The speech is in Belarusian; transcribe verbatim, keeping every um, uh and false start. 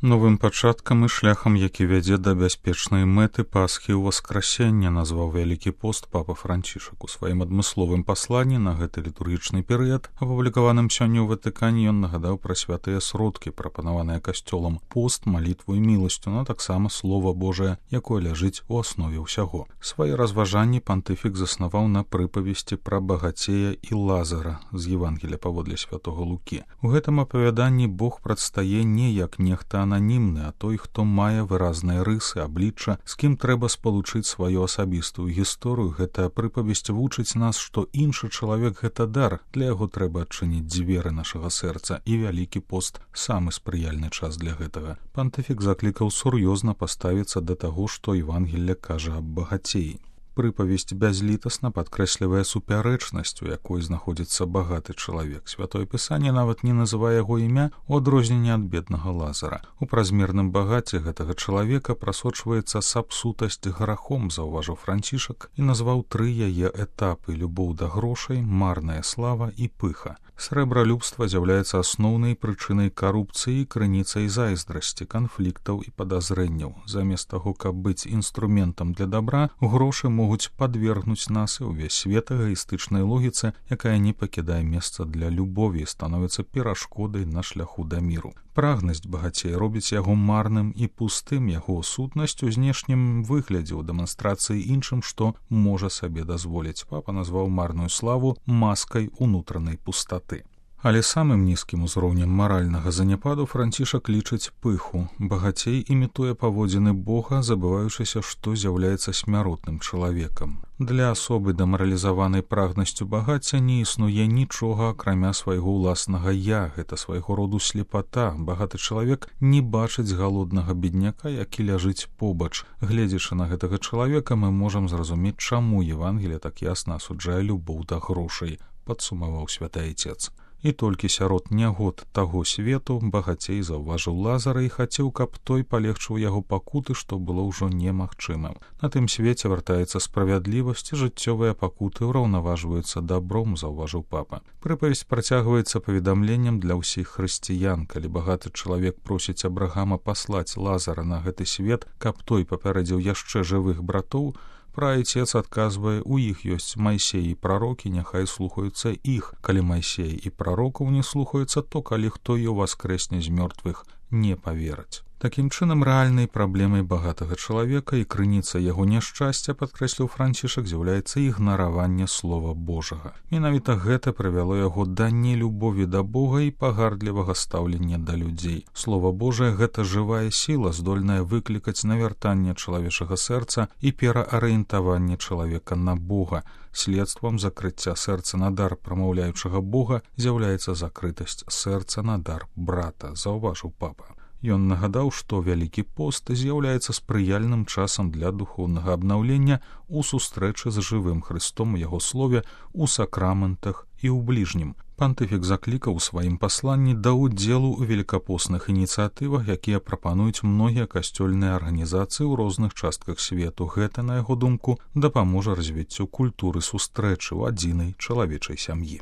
Новым пачаткам і шляхам, які вядзе да бяспечнай мэты Пасхі ў Васкрасення, назваў Вялікі пост папа Францішак. У сваім адмысловым пасланні на гэты літургічны перыяд, апублікаваным сёння ў Ватыкане, ён нагадаў пра святыя сродкі, прапанаваныя касцёлам: пост, малітву і міласцю, но таксама слова Божае, якое ляжыць у аснове ўсяго. Свае разважанні пантыфік заснаваў на прыпавесці пра багацея і Лазара з Евангелія паводле святога Лукі. У гэтым апавяданні Бог прадстае не як нехта ананімны, а той, хто мае выразныя рысы, аблічча, з кім трэба спалучыць сваю асабістую гісторыю. Гэтая прыпавесць вучыць нас, што іншы чалавек — гэта дар, для яго трэба адчыніць дзверы нашага сэрца, і Вялікі пост — самы спрыяльны час для гэтага. Пантыфік заклікаў сур'ёзна паставіцца да таго, што Евангелле кажа аб багацеі. Прыпавесць бязлітасна падкрэслівае супярэчнасць, у якой знаходзіцца багаты чалавек. Святое Пісанне нават не называе яго імя, у адрозненне ад беднага Лазара. У празмерным багаце гэтага чалавека прасочваецца сапсутасць грахом, заўважыў Францішак, і назваў тры яе этапы: любоў да грошай, марная слава і пыха. Срэбралюбства з'яўляецца асноўнай прычынай карупцыі, крыніцай зайздрасці, канфліктаў і падазрэнняў. Замест таго, каб быць інструментам для дабра, грошы могуць падвергнуць нас і ўвесь свет эгаістычнай логіцы, якая не пакідае месца для любові і становіцца перашкодай на шляху да міру. Прагнасць багацея робіць яго марным і пустым, яго сутнасць у знешнім выглядзе, у дэманстрацыі іншым, што можа сабе дазволіць. Папа назваў марную славу маскай унутранай пустаты. Але самым нізкім узроўнем маральнага заняпаду Францішак лічыць пыху. Багацей імітуе паводзіны Бога, забываючыся, што з'яўляецца смяротным чалавекам. Для асобы, дэмаралізаванай прагнасцю багацця, не існуе нічога, акрамя свайго ўласнага «я». Гэта свайго роду слепата. Багаты чалавек не бачыць галоднага бедняка, які ляжыць побач. Гледзячы на гэтага чалавека, мы можам зразумець, чаму Евангелие так ясна асуджае любоў да грошай, падсумаваў святы Айцец. І толькі сярод нягод таго свету багацей заўважыў Лазара і хацеў, каб той палегчыў яго пакуты, што было ўжо немагчымым. На тым свеце вяртаецца справядлівасць, і жыццёвыя пакуты ўраўнаважваюцца дабром, заўважыў папа. Прыпавесць працягваецца паведамленнем для ўсіх хрысціян. Калі багаты чалавек просіць Абрагама паслаць Лазара на гэты свет, каб той папярэдзіў яшчэ жывых братоў, праайцец адказвае: у іх ёсць Майсей і прарокі, няхай слухаюцца іх. Калі Майсей і прарокаў не слухаюцца, то калі хто і ўваскрэсне з мёртвых, не павераць. Такім чынам, рэальнай праблемай багатага чалавека і крыніца яго няшчасця, падкрэсліў Францішак, з'яўляецца ігнараванне слова Божага. Менавіта гэта прывяло яго да нелюбові да Бога і пагардлівага стаўлення да людзей. Слова Божае — гэта жывая сіла, здольная выклікаць навяртанне чалавечага сэрца і пераарыентаванне чалавека на Бога. Следствам закрыцця сэрца на дар прамаўляючага Бога з'яўляецца закрытасць сэрца на дар брата, заўважыў папа. Ён нагадаў, што Вялікі пост з'яўляецца спрыяльным часам для духоўнага абнаўлення у сустрэчы з жывым Хрыстом у яго слове, у сакраментах і ў бліжнім. Пантыфік заклікаў у сваім пасланні да ўдзелу ў велікапостных ініцыятывах, якія прапануюць многія касцёльныя арганізацыі ў розных частках свету. Гэта, на яго думку, дапаможа развіццю культуры сустрэчы ў адзінай чалавечай сям'і.